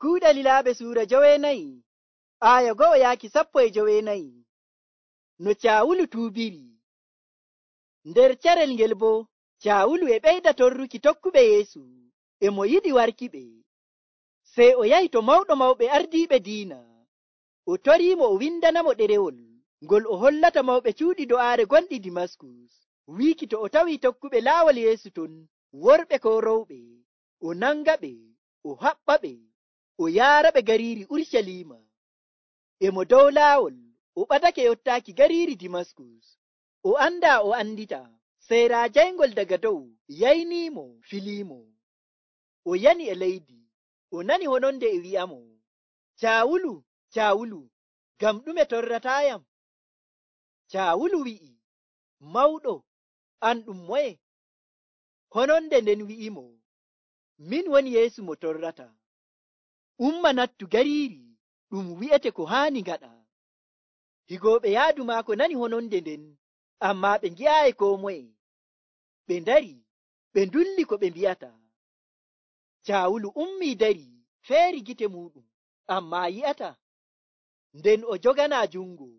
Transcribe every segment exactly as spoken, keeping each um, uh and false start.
Kuuɗe Lilaaɓe suura joweenayi aya go'o yaaki sappo e joweenayi. No Caawulu tuubiri. Nder carel ngel bo Caawulu e ɓeyda torruki tokkuɓe Yeesu e mo yiɗi warkiɓe. Sey o yahi to mawɗo mawɓe ardiiɓe diina, o toriimo o windanamo ɗerewol ngol o hollata mawɓe cuuɗi do'aare gonɗi Dimaskus, wiiki to o tawii tokkuɓe laawol Yeesu ton, worɓe koo rowɓe, o nangaɓe, o haɓɓaɓe, o yaaraɓe gariiri Urucaliima. E mo dow laawol o ɓadake yottaaki gariiri Dimaskus, o andaa o andita, sey raa jayngol daga dow yayniimo filiimo. O yani e leydi, o nani hononde e wi'amo, Caawulu, Caawulu, ngam ɗume torrataayam? Caawulu wi'i, Mawɗo, an ɗum moye? Hononde nden wi'imo, min woni Yeesu mo torrata. Umma nattu gariiri ɗum wi'ete ko haani ngaɗa. Higooɓe yaadu maako nani hononde nden, ammaa ɓe ngi'aayi koo moye. Ɓe ndari, ɓe ndulli ko ɓe mbi'ata. Caawulu ummii dari, feeri gite muuɗum, ammaa yi'ata. Nden o joganaa jungo,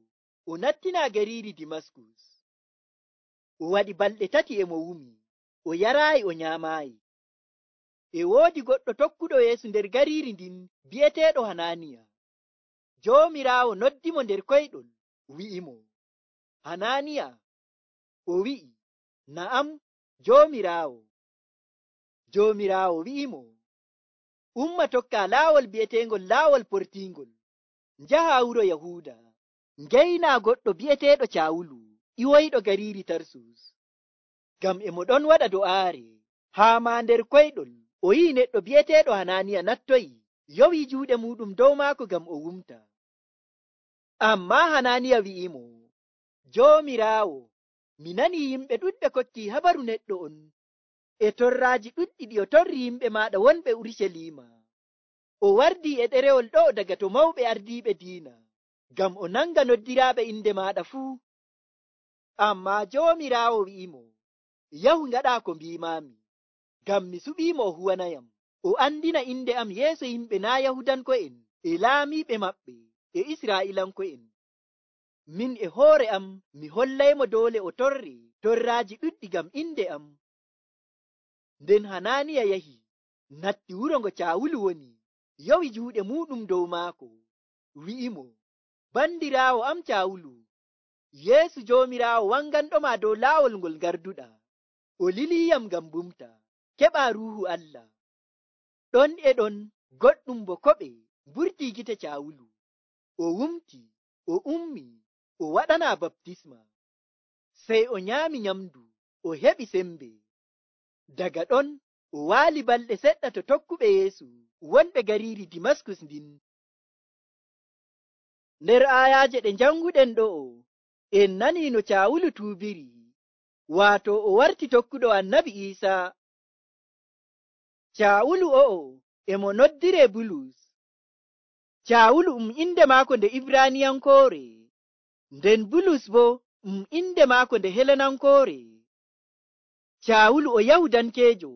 o nattinaa gariiri Dimaskus. O waɗi balɗe tati e mo wumi, o yaraayi o nyaamaayi. E woodi goɗɗo tokkuɗo Yeesu nder gariiri ndin bi'eteeɗo Hanaaniya. Joomiraawo noddimo nder koyɗol, wi'imo, Hanaaniya. O wi'i, Na'am, Joomiraawo. Joomiraawo wi'imo, umma tokkaa laawol bi'eteengol laawol portiingol, njahaa wuro Yahuuda, ngeynaa goɗɗo bi'eteeɗo Caawulu, iwoyɗo gariiri Tarsus. Ngam e mo ɗon waɗa do'aare, haa maa nder koyɗol o yi'i neɗɗo bi'eteeɗo Hanaaniya nattoyi, yowi juuɗe muuɗum dow maako ngam o wumta. Ammaa Hanaaniya wi'imo, Joomiraawo, mi nanii yimɓe ɗuɗɓe kokkii habaru neɗɗo on e torraaji ɗuɗɗi ɗi o torri yimɓe maaɗa wonɓe Urucaliima. O wardii e ɗerewol ɗo daga to mawɓe ardiiɓe diina, ngam o nanga noddiraaɓe inde maaɗa fuu. Ammaa Joomiraawo wi'imo, yahu ngaɗaa ko mbiimaami, ngam mi suɓiimo o huwanayam, o andina inde am yeeso yimɓe naa Yahudanko'en e laamiiɓe maɓɓe e Israa'iilanko'en. Min e hoore am mi hollaymo doole o torre torraaji ɗuɗɗi ngam inde am. Nden Hanaaniya yahi, natti wuro ngo Caawulu woni, yowi juuɗe muuɗum dow maako, wi'imo, bandiraawo am Caawulu, Yeesu Joomiraawo wanganɗoma dow laawol ngol ngarduɗaa, o liliyam ngam bumta, keɓaa Ruuhu Allah. Ɗon e ɗon goɗɗum bo koɓe mburtii gite Caawulu, o wumti, o ummi, o waɗanaa baptisma. Sey o nyaami nyamdu, o heɓi sembe. Daga ɗon o waali balɗe seɗɗa to tokkuɓe Yeesu wonɓe gariiri Dimaskus ndin. Nder aayaaje ɗe njanguɗen ɗo'o, en nanii no Caawulu tuubiri, waato o warti tokkuɗo Annabi Iisaa. Caawulu o'o e mo noddiree Bulus. Caawulu um inde maako nde Ibraaniyankoore, nden Bulus bo um inde maako nde Helenankoore. Caawulu o Yahudankeejo,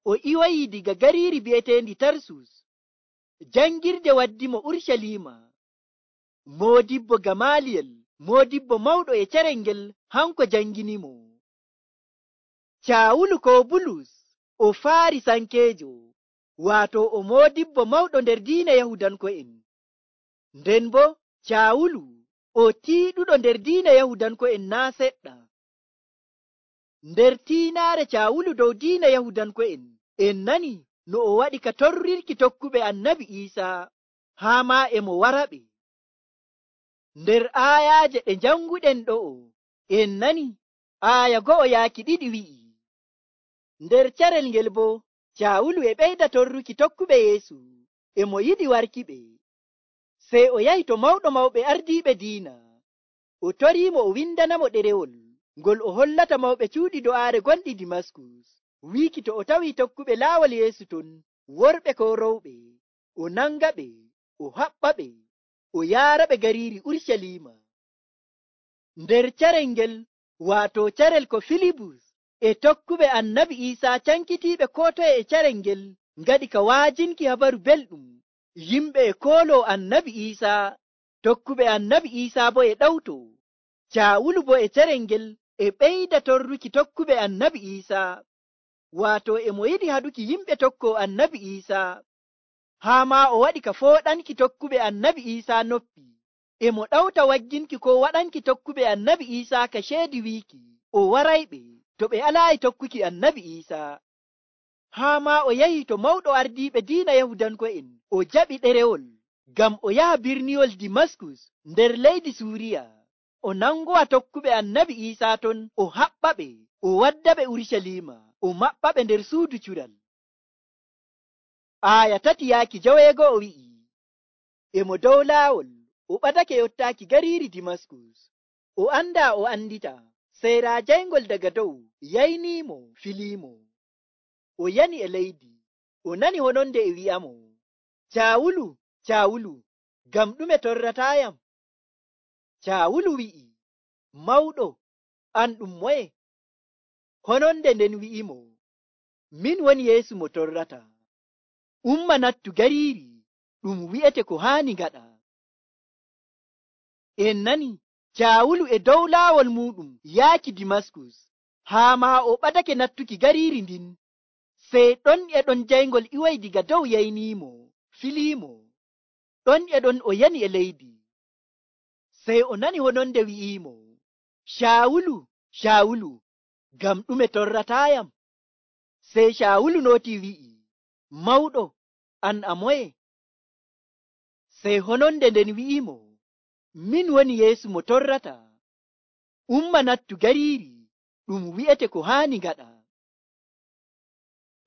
o iwayii diga gariiri bi'eteendi Tarsus. Jangirde waddimo Urucaliima. Moodibbo Gamaliyel, moodibbo mawɗo e carel ngel, hanko janginimo. Caawulu ko Bulus o Faarisankeejo, waato o moodibbo mawɗo nder diina Yahudanko'en. Nden bo Caawulu o tiiɗuɗo nder diina Yahudanko'en naa seɗɗa. Nder tiinaare Caawulu dow diina Yahudanko'en, en nani no o waɗi ka torrirki tokkuɓe Annabi Iisaa, haa maa e mo waraɓe. Nder aayaaje ɗe njanguɗen ɗo'o, en nani aaya go'o yaaki ɗiɗi wi'i, nder carel ngel bo Caawulu e ɓeyda torruki tokkuɓe Yeesu e mo yiɗi warkiɓe. Sey o yahi to mawɗo mawɓe ardiiɓe diina, o toriimo o windanamo ɗerewol ngol o hollata mawɓe cuuɗi do'aare gonɗi Dimaskus, wiiki to o tawii tokkuɓe laawol Yeesu ton, worɓe koo rowɓe, o nangaɓe, o haɓɓaɓe, o yaaraɓe gariiri Urucaliima. Nder carel ngel, waato carel ko Filibus e tokkuɓe Annabi Iisaa cankitiiɓe koo toye e carel ngel, ngaɗi ka waajinki habaru belɗum yimɓe e koolo annabi Iisaa, tokkuɓe annabi Iisaa bo e ɗawto. Caawulu bo e cerel ngel e ɓeyda torruki tokkuɓe annabi Iisaa, waato e mo yiɗi haɗuki yimɓe tokko annabi Iisaa, haa maa o waɗi ka fooɗanki tokkuɓe annabi Iisaa noppi. E mo ɗawta wagginki ko waɗanki tokkuɓe annabi Iisaa ka ceedi wiiki o warayɓe to ɓe alaayi tokkuki annabi Iisaa. Haa maa o yahi to mawɗo ardiiɓe diina Yahudanko'en o jaɓi ɗerewol ngam o yaha birniwol Dimaskus nder leydi Suuriya, o nangowa tokkuɓe annabi Iisaa ton, o haɓɓa ɓe, o wadda ɓe Urucaliima, o maɓɓa ɓe nder suudu cural. Aaya tati yaaki joweego'o wi'i, e mo dow laawol o ɓadake yottaaki gariiri Dimaskus, o andaa o andita, sey raa jayngol daga dow yayniimo filiimo. O yani e leydi, o nani hononde e wi'amo, Caawulu, Caawulu, ngam ɗume torrataayam? Caawulu wi'i, Mawɗo, an ɗum moye? Hononde nden wi'imo, min woni Yeesu mo torrata. Umma nattu gariiri ɗum wi'ete ko haani ngaɗa. En nani, Caawulu e dow laawol muɗum yaaki Dimaskus, haa maa o ɓadake nattuki gariiri ndin. Sey ɗon e ɗon jayngol iway diga dow yayniimo, filiimo. Ɗon e ɗon o yani e leydi. Sey o nani hononde wi'iimo, Caawulu, Caawulu, ngam ɗume torrataayam? Sey Caawulu nootii wi'i, Mawɗo, an a moye? Sey hononde nden wi'imo, min woni Yeesu mo torrata. Umma nattu gariiri ɗum wi'ete ko haani ngaɗa.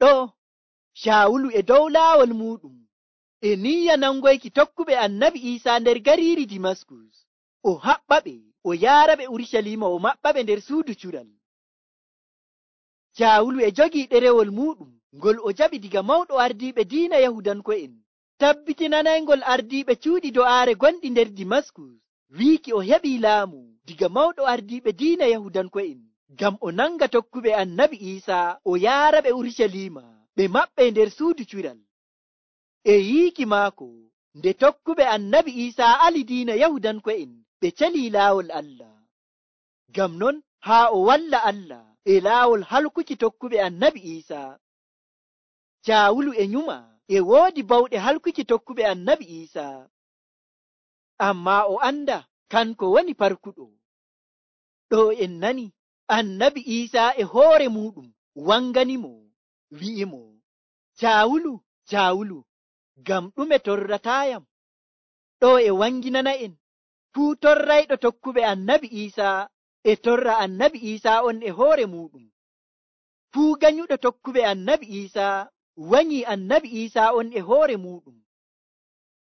Ɗo Caawulu e dow laawol muɗum e niyya nangoyki tokkuɓe annabi Iisaa nder gariiri Dimaskus, o haɓɓa ɓe, o yaara ɓe Urucaliima, o maɓɓa ɓe nder suudu cural. Caawulu e jogii ɗerewol muɗum ngol o jaɓi diga mawɗo ardiiɓe diina Yahudanko'en, tabbitinanaygol ardiiɓe cuuɗi do'aare gonɗi nder Dimaskus, wiiki o heɓii laamu diga mawɗo ardiiɓe diina Yahudanko'en, ngam o nanga tokkuɓe annabi Iisaa o yaara ɓe Urucaliima, ɓe maɓɓe nder suudu cural. E yiiki maako, nde tokkuɓe annabi Iisaa ali diina Yahudanko'en ɓe calii laawol Allah. Ngam non haa o walla Allah e laawol halkuki tokkuɓe annabi Iisaa. Caawulu e nyuma e woodi bawɗe halkuki tokkuɓe annabi Iisaa, ammaa o anda kanko woni parkuɗo. Ɗo en nani annabi Iisaa e hoore muɗum wanganimo, wi'imo, Caawulu, Caawulu, ngam ɗume torrataayam? Ɗo e wanginana en fuu torrayɗo tokkuɓe annabi Iisaa e torra annabi Iisaa on e hoore muɗum. Fuu ganyuɗo tokkuɓe annabi Iisaa wanyi annabi Iisaa on e hoore muɗum.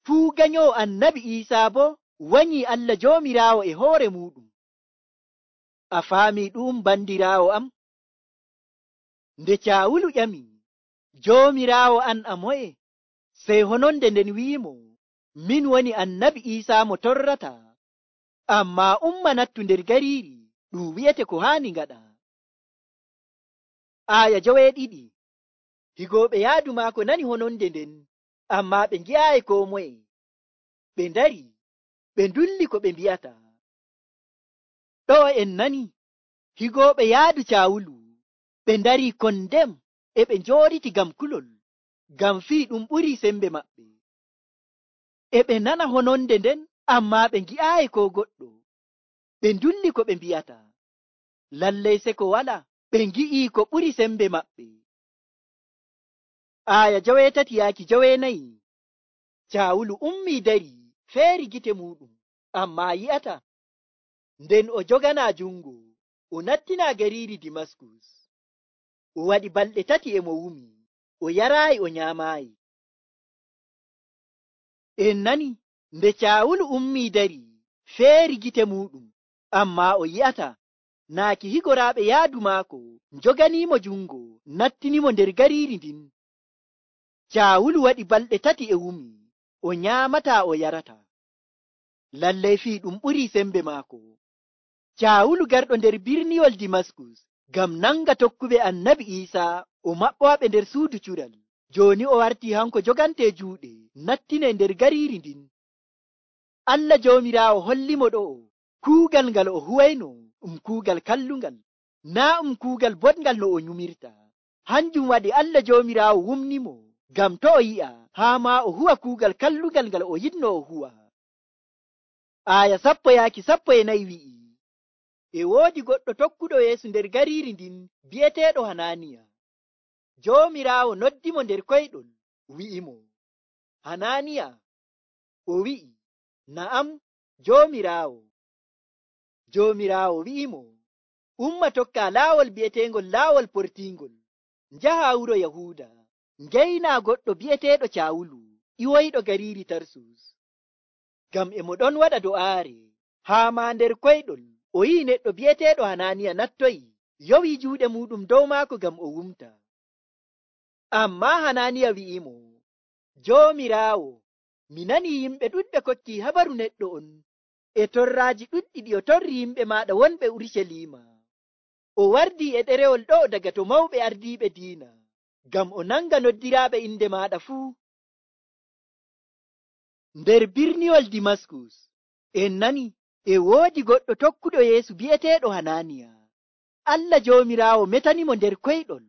Fuu ganyowo annabi Iisaa bo wanyi Allah Joomiraawo e hoore muɗum. A faami ɗum, bandiraawo am? Nde Caawulu ƴami, Joomiraawo an a moye? Sey hononde nden wi'imo, min woni annabi Iisaa mo torrata, ammaa umma nattu nder gariiri ɗum wi'ete ko haani ngaɗa. Aaya joweeɗiɗi. Higooɓe yaadu maako nani hononde nden, ammaa ɓe ngi'aayi koo moye. Ɓe ndari, ɓe ndulli ko ɓe mbi'ata. Ɗo en nani higooɓe yaadu Caawulu ɓe ndari kondem e ɓe njooɗiti ngam kulol, ngam fii ɗum ɓurii sembe maɓɓe. E ɓe nana hononde nden, ammaa ɓe ngi'aayi koo goɗɗo. Ɓe ndulli ko ɓe mbi'ata. Lallay seko wala, ɓe ngi'ii ko ɓuri sembe maɓɓe. Aaya joweetati yaaki joweenayi. Caawulu ummii dari feeri gite muɗum, ammaa yi'ata. Nden o joganaa jungo, o nattinaa gariiri Dimaskus. O waɗi balɗe tati e mo wumi, o yaraayi, o nyaamaayi. En nani nde Caawulu ummii dari feeri gite muɗum, ammaa o yi'ata. Naaki higoraaɓe yaadu maako njoganiimo jungo, nattinimo nder gariiri ndin. Caawulu waɗi balɗe tati e wumi, o nyaamataa, o yarataa. Lallay fii ɗum ɓurii sembe maako. Caawulu garɗo nder birniwol Dimaskus ngam nanga tokkuɓe annabi Iisaa, o maɓɓowaɓe nder suudu cural. Jooni o wartii hanko jogantee juuɗe nattine nder gariiri ndin. Allah Joomiraawo hollimo ɗo'o kuugal ngal o huwayno ɗum kuugal kallungal, naa ɗum kuugal boɗngal no o nyumirta. Hanjum waɗi Allah Joomiraawo wumnimo ngam to o yi'a haa maa o huwa kuugal kallungal ngal o yiɗno o huwa. Aaya sappo yaaki sappo e nayi wi'i, e woodi goɗɗo tokkuɗo Yeesu nder gariiri ndin bi'eteeɗo Hanaaniya. Joomiraawo noddimo nder koyɗol wi'imo, Hanaaniya. O wi'i, na'am, Joomiraawo. Joomiraawo wi'imo, umma tokka laawol bi'eteengol laawol portiingol, njaha wuro Yahuuda, ngeyna goɗɗo bi'eteeɗo Caawulu, iwoyɗo gariiri Tarsus. Ngam e mo ɗon waɗa do'aare, haa maa nder koyɗol o yi'i neɗɗo bi'eteeɗo Hanaaniya nattoyi, yowi juuɗe muɗum dow maako ngam o wumta. Ammaa Hanaaniya wi'imo, Joomiraawo, mi nani yimɓe ɗuɗɓe kokki habaru neɗɗo on e torraaji ɗuɗɗi ɗi o torri yimɓe maaɗa wonɓe Urucaliima. O wardii e ɗerewol ɗo'o daga to mawɓe ardiiɓe diina, ngam o nanga noddiraaɓe inde maaɗa fuu. Nder birniwol Dimaskus, en nani e woodi goɗɗo tokkuɗo Yeesu bi'eteeɗo Hanaaniya. Allah Joomiraawo metanimo nder koyɗol,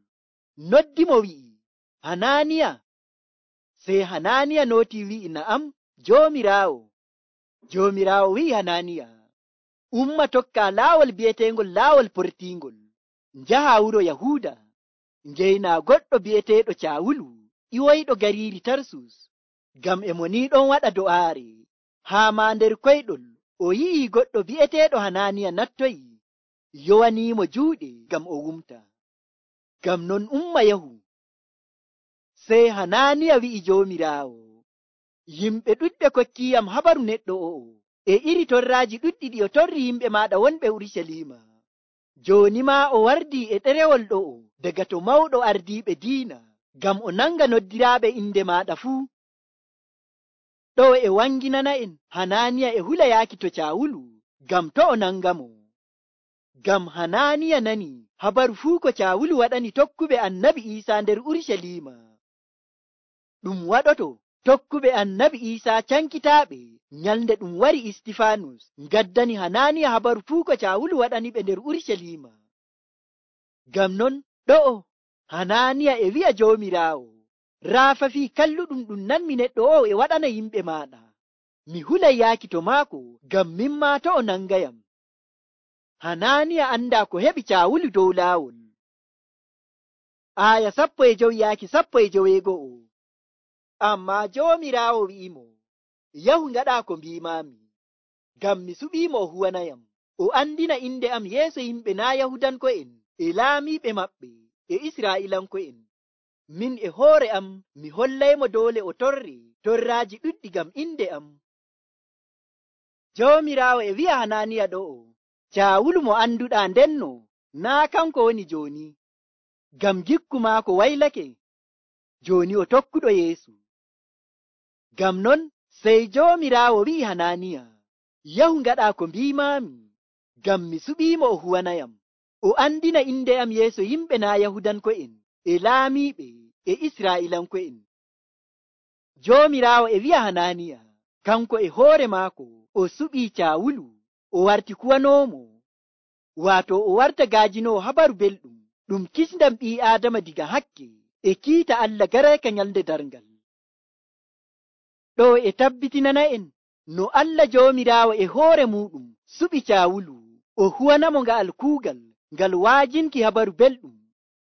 noddimo wi'i, Hanaaniya. Sey Hanaaniya nooti wi'i, na'am, Joomiraawo. Joomiraawo wi'i Hanaaniya, umma tokka laawol bi'eteengol laawol portiingol, njaha wuro Yahuuda, ngeyna goɗɗo bi'eteeɗo Caawulu, iwoyɗo gariiri Tarsus. Ngam e mo ni ɗon waɗa do'aare, haa maa nder koyɗol o yi'i goɗɗo bi'eteeɗo Hanaaniya nattoyi, yowaniimo juuɗe ngam o wumta. Ngam non umma yahu. Sey Hanaaniya wi'i Joomiraawo, yimɓe ɗuɗɓe kokkiyam habaru neɗɗo o'o e iri torraaji ɗuɗɗi ɗi o torri yimɓe maaɗa wonɓe Urucaliima. Jooni maa o wardii e ɗerewol ɗo'o daga to mawɗo ardiiɓe diina, ngam o nanga noddiraaɓe inde maaɗa fuu. Ɗo e wanginana en Hanaaniya e hula yaaki to Caawulu, ngam to o nangamo. Ngam Hanaaniya nani habaru fuu ko Caawulu waɗani tokkuɓe Annabi Iisaa nder Urucaliima. Ɗum waɗoto tokkuɓe Annabi Iisaa cankitaaɓe nyalnde ɗum wari Istifaanus ngaddani Hanaaniya habaru fuu ko Caawulu waɗani ɓe nder Urucaliima. Ngam non ɗo'o Hanaaniya e wi'a Joomiraawo, raafa fii kalluɗum ɗum nanmi neɗɗo o'o e waɗana yimɓe maaɗa. Mi hulay yaaki to maako ngam min maa to o nangayam. Hanaaniya andaa ko heɓi Caawulu dow laawol. Aaya sappo e jowi yaaki sappo e joweego'o. Ammaa Joomiraawo wi'imo, yahu ngaɗaa ko mbiimaami, ngam mi suɓiimo o huwanayam, o andina inde am yeeso yimɓe naa Yahudanko'en e laamiiɓe maɓɓe e Israa'iilanko'en. Min e hoore am mi hollaymo doole o torre torraaji ɗuɗɗi ngam inde am. Joomiraawo e wi'a Hanaaniya ɗo'o, Caawulu mo annduɗaa ndenno naa kanko woni jooni, ngam gikku maako waylake, jooni o tokkuɗo Yeesu. Ngam non sey Joomiraawo wi'i Hanaaniya, yahu ngaɗaa ko mbiimaami, ngam mi suɓiimo o huwanayam, o andina inde am yeeso yimɓe naa Yahudanko'en e laamiiɓe e Israa'iilanko'en. Joomiraawo e wi'a Hanaaniya, kanko e hoore maako o suɓii Caawulu, o warti kuwanoomo, waato o warta gaajinoowo habaru belɗum ɗum kisndam ɓii Aadama diga hakke e kiita Allah garayka nyalnde darngal. Ɗo e tabbitinana en no Allah Joomiraawo e hoore muɗum suɓi Caawulu o huwanamo nga'al kuugal ngal waajinki habaru belɗum,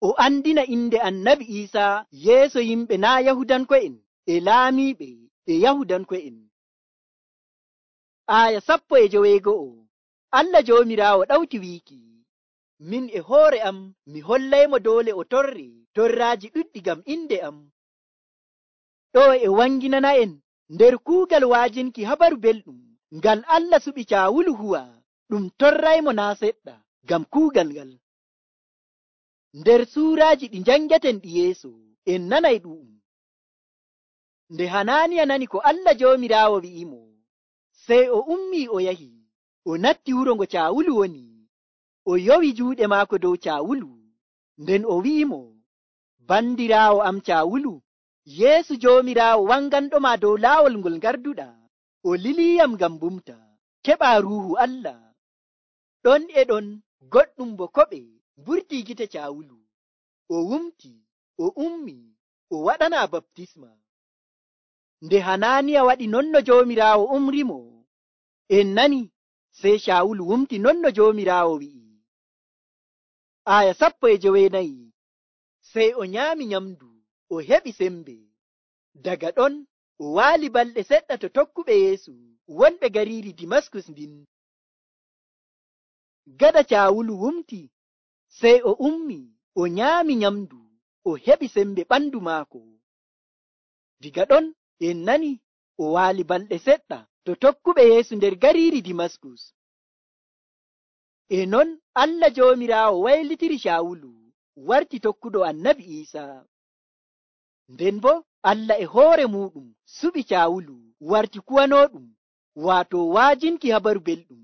o andina inde Annabi Iisaa yeeso yimɓe naa Yahudanko'en e laamiiɓe e Yahudanko'en. Aaya sappo e joweego'o. Allah Joomiraawo ɗawti wiiki, min e hoore am mi hollaymo doole o torre torraaji ɗuɗɗi ngam inde am. Ɗo e wanginana en nder kuugal waajinki habaru belɗum ngal Allah suɓi Caawulu huwa, ɗum torraymo naa seɗɗa ngam kuugal ngal. Nder suuraaji ɗi njangeten ɗi yeeso en nanay ɗu'um. Nde Hanaaniya nani ko Allah Joomiraawo wi'imo, sey o ummii o yahi, o natti wuro ngo Caawulu woni, o yowi juuɗe maako dow Caawulu, nden o wi'imo, bandiraawo am Caawulu, Yeesu Joomiraawo wanganɗoma dow laawol ngol ngarduɗa, o liliyam ngam bumta, keɓa Ruuhu Allah. Ɗon e ɗon goɗɗum bo koɓe mburti gite Caawulu, o wumti, o ummi, o waɗana baptisma. Nde Hanaaniya waɗi non no Joomiraawo umrimo, en nani, sey Caawulu wumti non no Joomiraawo wi'i. Aya sappo e jowenayi. Sey o nyaami nyamdu, o heɓi sembe. Daga ɗon o waali balɗe seɗɗa to tokkuɓe Yeesu wonɓe gariiri Dimaskus ndin. Gada Caawulu wumti, sey o ummi, o nyaami nyamdu, o heɓi sembe ɓandu maako. Diga ɗon en nani o waali balɗe seɗɗa to tokkuɓe Yeesu nder gariiri Dimaskus. E non Allah Joomiraawo waylitiri Caawulu warti tokkuɗo Annabi Iisaa. Nden bo Allah e hoore muɗum suɓi Caawulu warti kuwanooɗum, waato waajinki habaru belɗum.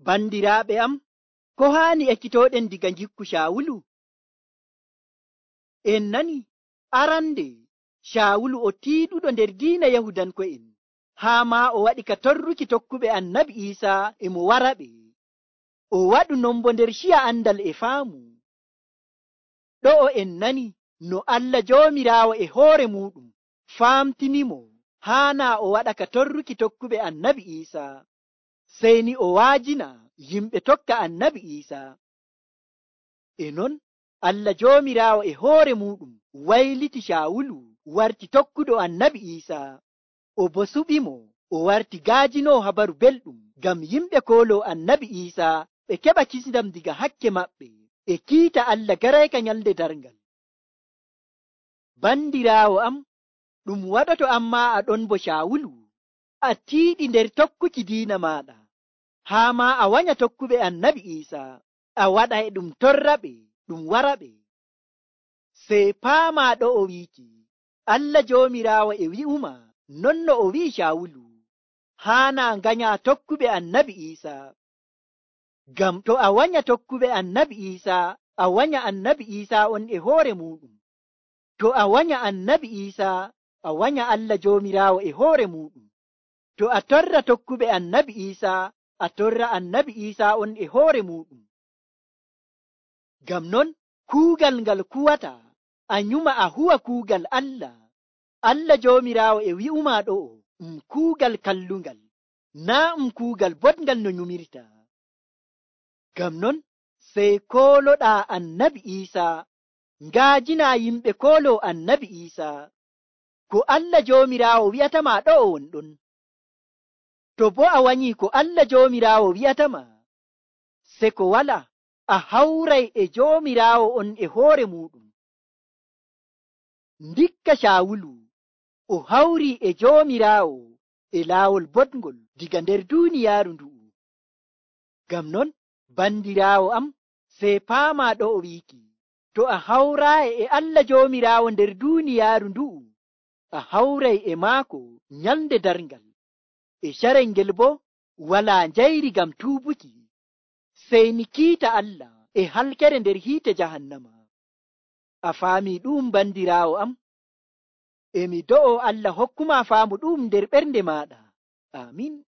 Bandiraaɓe am, ko haani ekkitooɗen diga ngikku Caawulu? En nani arande Caawulu o tiiɗuɗo nder diina Yahudanko'en, haa maa o waɗi ka torruki tokkuɓe Annabi Iisaa e mo waraɓe. O waɗu non bo nder ciya andal e faamu. Ɗo'o en nani no Allah Joomiraawo e hoore muɗum faamtinimo haana o waɗa ka torruki tokkuɓe Annabi Iisaa, sey ni o waajina yimɓe tokka Annabi Iisaa. E non Allah Joomiraawo e hoore muɗum wayliti Caawulu warti tokkuɗo Annabi Iisaa, o bo suɓimo o warti gaajinoo habaru belɗum ngam yimɓe kooloo Annabi Iisaa ɓe keɓa kisndam diga hakke maɓɓe e kiita Allah garayka nyalde darngal. Bandiraawo am, ɗum waɗoto amma a ɗon bo Caawulu, a tiiɗi nder tokkuki diina maaɗa, haa maa a wanya tokkuɓe Annabi Iisaa, a waɗa e ɗum torraɓe ɗum waraɓe. Sey paamaa ɗo o wiiki, Allah Joomiraawo e wi'uma non no o wi'i Caawulu, haana nganya tokkuɓe Annabi Iisaa. Ngam to a wanya tokkuɓe Annabi Iisaa, a wanya Annabi Iisaa on e hoore muɗum. To a wanya Annabi Iisaa, a wanya Allah Joomiraawo e hoore muɗum. To a torra tokkuɓe Annabi Iisaa, a torra Annabi Iisaa on e hoore muɗum. Ngam non kuugal ngal kuwata, a nyuma a huwa kuugal Allah. Allah Joomiraawo e wi'uma ɗo'o um kuugal kallungal, naa um kuugal boɗngal no nyumirta. Ngam non sey kooloɗaa Annabi Iisaa, ngaajina yimɓe kooloo Annabi Iisaa. Ko Allah Joomiraawo wi'atama ɗo'o wonɗon. To boo a wanyii ko Allah Joomiraawo wi'atama, se ko wala a hawray e Joomiraawo on e hoore muɗum. Ndikka Caawulu o hawrii e Joomiraawo e laawol boɗngol diga nder duuniyaaru ndu'u. Ngam non bandiraawo am, sey paamaa ɗo o wiiki, to a hawraayi e Allah Joomiraawo nder duuniyaaru ndu'u, a hawray e maako nyalnde darngal. E carel ngel boo walaa njayri ngam tuubuki, sey ni kiita Allah e halkere nder hiite jahannama. A faamii ɗum bandiraawo am? Emi do'o Allah hokkuma faamu ɗum nder ɓernde maaɗa. Amin.